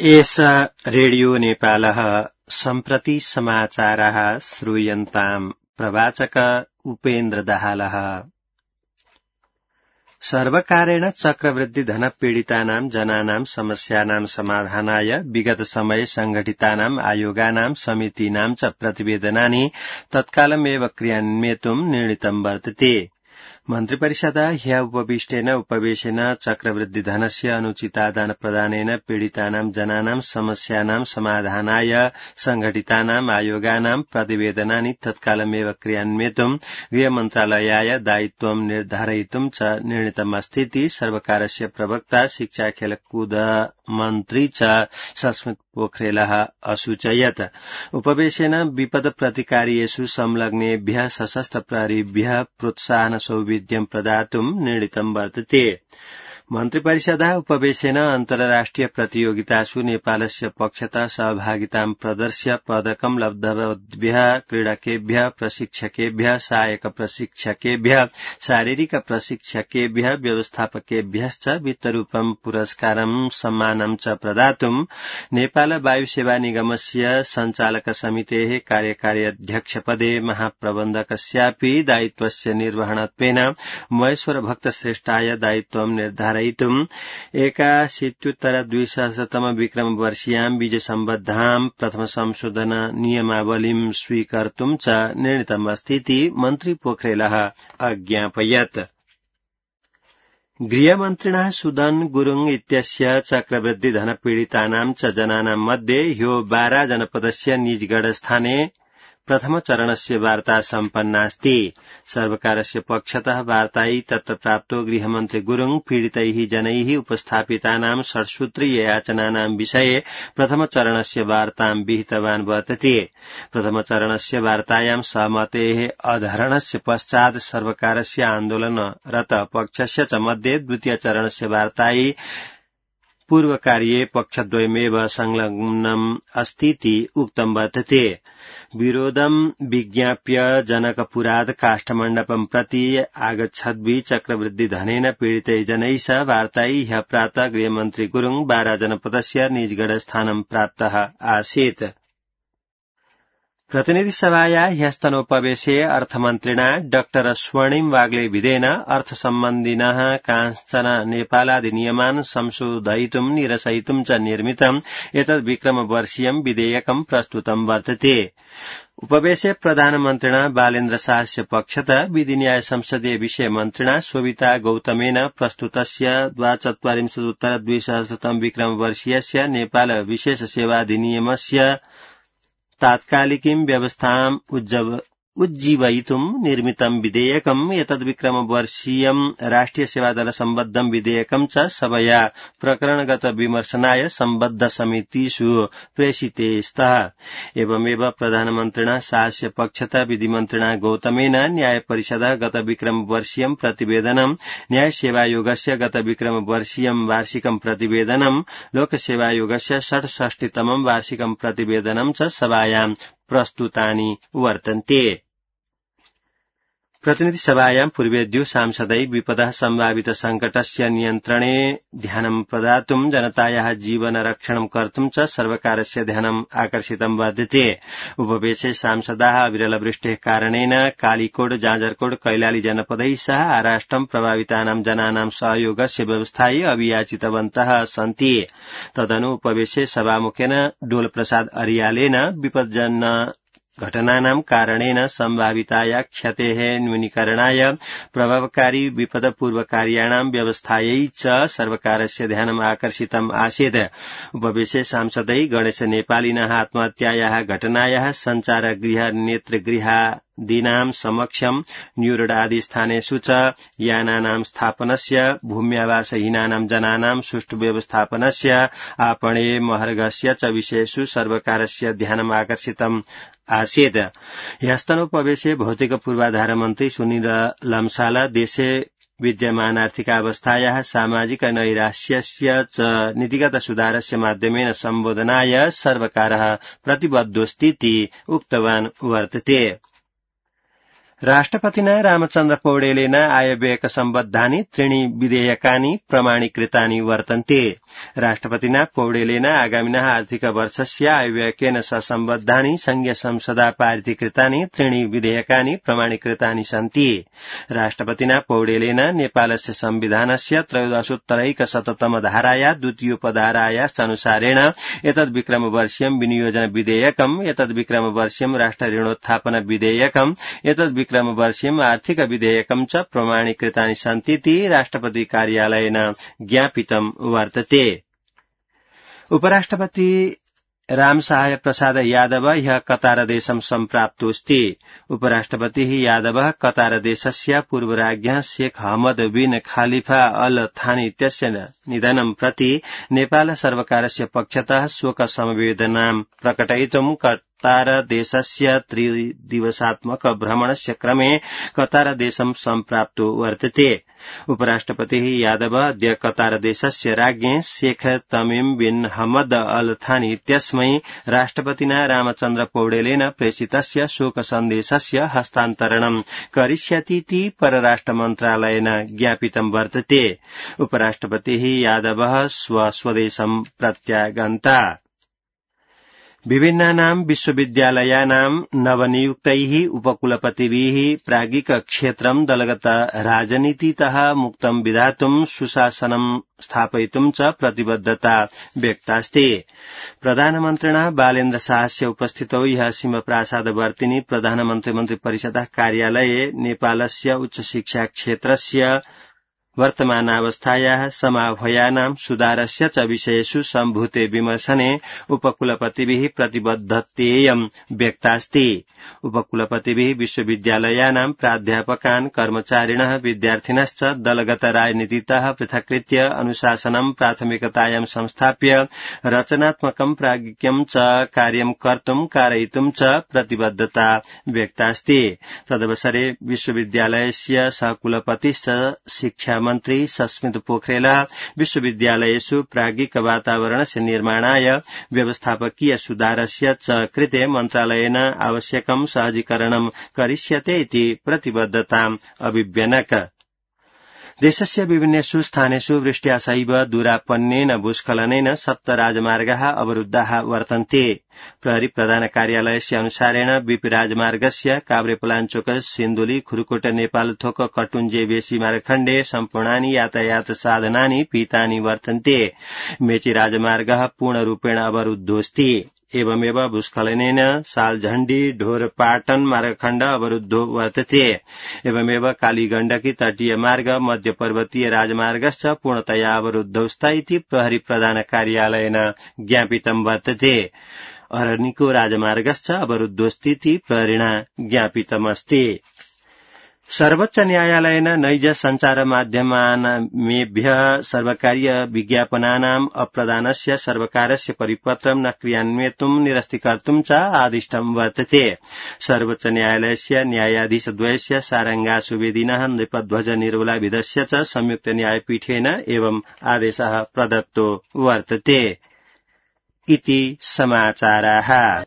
एष रेडियो नेपालः सम्प्रति समाचारः श्रूयन्ताम् प्रवाचक उपेन्द्र दाहालः। सर्वकारेण चक्रवृद्धि धन पीडितानां जनानां समस्यानां समाधानाय विगत समये संघटितानां आयोगानां समितीनां च प्रतिवेदनानि तत्कालमेव क्रियान्वेतुं निर्णीतं वर्तते। मन्त्रिपरिषदा ह्य उपविष्टेन उपवेशेन चक्रवृद्धि धनस्य अनुचितादान प्रदानेन पीडितानां जनानां समस्यानां समाधानाय संघटितानां आयोगानां प्रतिवेदनानि तत्कालमेव क्रियान्वेतुं गृहमन्त्रालयाय दायित्वं निर्धारयितुं च निर्णीतमस्तीति सर्वकारस्य प्रवक्ता शिक्षा खेलकूद मन्त्री च सस्मित पोखरेलः असूचयत्। उपवेशेन विपद प्रतिकार्येषु संलग्नेभ्यः सशस्त्र प्रहरीभ्यः प्रोत्साहन सौविध्यं प्रदातुं निर्णीतं वर्तते। मन्त्रिपरिषदा उपवेशेन अन्तर्राष्ट्रिय प्रतियोगितासु नेपालस्य पक्षतः सहभागितां प्रदर्श्य पदकं लब्धवद्भ्यः क्रीडकेभ्यः प्रशिक्षकेभ्यः सहायक प्रशिक्षकेभ्यः शारीरिक प्रशिक्षकेभ्यः व्यवस्थापकेभ्यश्च वित्तरूपं पुरस्कारं सम्मानं च प्रदातुं नेपाल वायुसेवा निगमस्य सञ्चालक समितेः कार्यकारी अध्यक्षपदे महाप्रबन्धकस्यापि दायित्वस्य निर्वहणत्वेन महेश्वर भक्त श्रेष्ठाय दायित्वं निर्धारयितुं 81-200 विक्रम वर्षीयां बीज सम्बद्धां प्रथम संशोधन नियमावलीं स्वीकर्तुं च निर्णीतमस्तीति मन्त्री पोखरेलः अज्ञापयत्। गृहमन्त्रिणा सुदन गुरुङ इत्यस्य चक्रवृद्धि धन पीडितानां च जनानां मध्ये ह्यो बारा जनपदस्य निजगढस्थाने प्रथम चरणस्य वार्ता सम्पन्नास्ति। सर्वकारस्य पक्षतः वार्तायै तत्र प्राप्तो गृहमन्त्री गुरुङ पीडितैः जनैः उपस्थापितानां षड्सूत्रीय याचनानां विषये प्रथम चरणस्य वार्तां विहितवान् वर्तते। प्रथम चरणस्य वार्तायां सहमतेः अधरणस्य पश्चात् सर्वकारस्य आन्दोलनरत पक्षस्य च मध्ये द्वितीय चरणस्य वार्तायै पूर्वकार्ये पक्षद्वयमेव संलग्नम् अस्तीति उक्तं वर्तते। विरोधं विज्ञाप्य जनकपुरात् काष्ठमण्डपं प्रति आगच्छद्भिः चक्रवृद्धि धनेन पीडितैः जनैः सह वार्तायै ह्यः प्रातः गृहमन्त्री गुरुङ बारा जनपदस्य निजगढस्थानं प्राप्तः आसीत्। प्रतिनिधिसभाया ह्यस्तनोपवेशे अर्थमन्त्रिणा डॉ स्वर्णिम वाग्ले विधेन अर्थसम्बन्धिनः कांश्चन नेपालादिनियमान् संशोधयितुं निरसयितुं च निर्मितम् एतद् विक्रमवर्षीयं विधेयकं प्रस्तुतं वर्तते। उपवेशे प्रधानमन्त्रिणा बालेन्द्र शाहस्य पक्षतः विधिन्याय संसदीय विषय मन्त्रिणा शोभिता गौतमेन प्रस्तुतस्य 42-200 विक्रमवर्षीयस्य नेपाल विशेष सेवाधिनियमस्य तात्कालिकीं व्यवस्थाम् उज्जीवयितुं निर्मितं विधेयकम् एतद्विक्रमवर्षीयं राष्ट्रिय सेवादल सम्बद्धं विधेयकं च सभया प्रकरणगत विमर्शनाय सम्बद्ध समितिषु प्रेषिते स्तः। एवमेव प्रधानमन्त्रिणा शाहस्य पक्षतः विधिमन्त्रिणा गौतमेन न्यायपरिषदः गत विक्रमवर्षीयं प्रतिवेदनं न्यायसेवायोगस्य गत विक्रमवर्षीयं वार्षिकं प्रतिवेदनं लोकसेवायोगस्य 66तमं वार्षिकं प्रतिवेदनं च सभायां प्रस्तुतानि वर्तन्ते। प्रतिनिधिसभायां पूर्वेद्यु सांसदै विपदः सम्भावित संकटस्य नियन्त्रणे ध्यानं प्रदातुं जनतायाः जीवन रक्षणं कर्तुं च सर्वकारस्य ध्यानम् आकर्षितं वर्तते। उपवेशे सांसदाः विरलवृष्टेः कारणेन कालीकोट जाजरकोट कैलाली जनपदैः सह आराष्ट्रं प्रभावितानां जनानां सहयोगस्य व्यवस्थायै अभियाचितवन्तः सन्ति। तदनु उपवेशे सभामुखेन डोलप्रसाद अर्यालेन विपज्जनक घटनानां कारणेन सम्भाविताया क्षतेः न्यूनीकरणाय प्रभावकारी विपदपूर्वकार्याणां व्यवस्थायै च सर्वकारस्य ध्यानम् आकर्षितम् आसीत्। उपवेशे सांसदै गणेश नेपालिनः आत्महत्यायाः घटनायाः सञ्चारगृह नेत्रगृहादीनां समक्षं न्यूरोडादिस्थानेषु च यानानां स्थापनस्य भूम्यावासहीनानां जनानां सुष्ठु व्यवस्थापनस्य आपणे महर्घस्य च विषयेषु सर्वकारस्य ध्यानम् आकर्षितम् आसीत्। ह्यस्तनोपवेशे भौतिक पूर्वाधार मन्त्री सुनिल लम्साल देशे विद्यमान आर्थिकावस्थायाः सामाजिक नैराश्यस्य च नीतिगत सुधारस्य माध्यमेन सम्बोधनाय सर्वकारः प्रतिबद्धोऽस्तीति उक्तवान् वर्तते। राष्ट्रपतिना रामचन्द्र पौडेलेन आयव्ययक सम्बद्धानि त्रीणि विधेयकानि प्रमाणीकृतानि वर्तन्ते। राष्ट्रपतिना पौडेलेन आगामिनः आर्थिक वर्षस्य आयव्ययकेन सह सम्बद्धानि संघीय संसदा पारितीकृतानि त्रीणि विधेयकानि प्रमाणीकृतानि सन्ति। राष्ट्रपतिना पौडेलेन नेपालस्य संविधानस्य 13उत्तरैकशततम धाराया द्वितीयोपधारायाश्चानुसारेण एतद् विक्रमवर्षीयं विनियोजन विधेयकम्, एतद् विक्रमवर्षीयं राष्ट्र ऋणोत्थापन विधेयकम्, एतद् विक्रमवर्षीयं आर्थिक विधेयकं च प्रमाणीकृतानि सन्तीति राष्ट्रपति कार्यालयेन ज्ञापितं वर्तते। उपराष्ट्रपति रामसहाय प्रसाद यादव ह्यः कतारदेशं सम्प्राप्तोऽस्ति। उपराष्ट्रपतिः यादवः कतारदेशस्य पूर्वराज्ञः शेख हमद बिन खलीफा अल थानी इत्यस्य निधनं प्रति नेपाल सर्वकारस्य पक्षतः शोक समवेदनां प्रकटयितुं कतारदेशस्य 3 दिवसात्मक भ्रमणस्य क्रमे कतारदेशं सम्प्राप्तो वर्तते। उपराष्ट्रपतिः यादव अद्य कतारदेशस्य राज्ञे शेख तमीम बिन हमद अल थानी इत्यस्मै राष्ट्रपतिना रामचन्द्र पौडेलेन प्रेषितस्य शोक सन्देशस्य हस्तान्तरणं करिष्यतीति परराष्ट्र मन्त्रालयेन ज्ञापितं वर्तते। उपराष्ट्रपतिः यादवः स्वस्वदेशं प्रत्यागन्ता। विभिन्नानां विश्वविद्यालयानां नवनियुक्तैः उपकुलपतिभिः प्राज्ञिक क्षेत्रं दलगत राजनीतितः मुक्तं विधातुं सुशासनं स्थापयितुं च प्रतिबद्धता व्यक्तास्ति। प्रधानमन्त्रिणः बालेन्द्र शाहस्य उपस्थितौ ह्यः सिंहप्रासादवर्तिनि प्रधानमन्त्री मन्त्रिपरिषदः कार्यालये नेपालस्य उच्चशिक्षा क्षेत्रस्य वर्तमानावस्थायाः समाह्वयानां सुधारस्य च विषयेषु सम्भूते विमर्शने उपकुलपतिभिः प्रतिबद्धतेयं व्यक्तास्ति। उपकुलपतिभिः विश्वविद्यालयानां प्राध्यापकान्, कर्मचारिणः, विद्यार्थिनश्च दलगत राजनीतितः पृथक्कृत्य अनुशासनं प्राथमिकतायां संस्थाप्य रचनात्मकं प्राज्ञिकं च कार्यं कर्तुं कारयितुं च प्रतिबद्धता व्यक्तास्ति। तदवसरे विश्वविद्यालयस्य सहकुलपतिश्च शिक्षा मन्त्री सस्मित पोखरेलः विश्वविद्यालयेषु प्राज्ञिक वातावरणस्य निर्माणाय व्यवस्थापकीय सुधारस्य च कृते मन्त्रालयेन आवश्यकं सहजीकरणं करिष्यते इति प्रतिबद्धताम् अभिव्यनक। देशस्य विभिन्नेषु स्थानेषु वृष्ट्या सैव दूरापन्नेन भूस्खलनेन 7 राजमार्गाः अवरुद्धाः वर्तन्ते। प्रहरी प्रधान कार्यालयस्य अनुसारेण बीपी राजमार्गस्य काभ्रेपलाञ्चोक सिन्धुली खुरुकोट नेपालथोक कटुञ्जे बेसी मार्गखण्डे सम्पूर्णानि यातायात साधनानि पीतानि वर्तन्ते। मेची राजमार्गः पूर्णरूपेण अवरुद्धोऽस्ति। एवमेव भूस्खलनेन सालझण्डी ढोरपाटन मार्गखण्ड अवरुद्धो वर्तते। एवमेव कालीगण्डकी तटीय मार्ग मध्य पर्वतीय राजमार्गश्च पूर्णतया अवरुद्धौ स्त इति प्रहरी प्रधान कार्यालयेन ज्ञापितं वर्तते। अरनिको राजमार्गश्च अवरुद्धोऽस्तीति प्रहरिणा ज्ञापितमस्ति। सर्वोच्च न्यायालयेन नैज संचार माध्यमानामेभ्यः सर्वकारीय विज्ञापनानाम् अप्रदानस्य सर्वकारस्य परिपत्रं न क्रियान्वयितुं निरस्तीकर्तुं च आदिष्टं वर्तते। सर्वोच्च न्यायालयस्य न्यायाधीशद्वयस्य सारंगा सुवेदिनः नृपध्वज निरोलाभिधस्य च संयुक्त न्यायपीठेन एवं आदेशः प्रदत्तो वर्तते इति समाचाराः।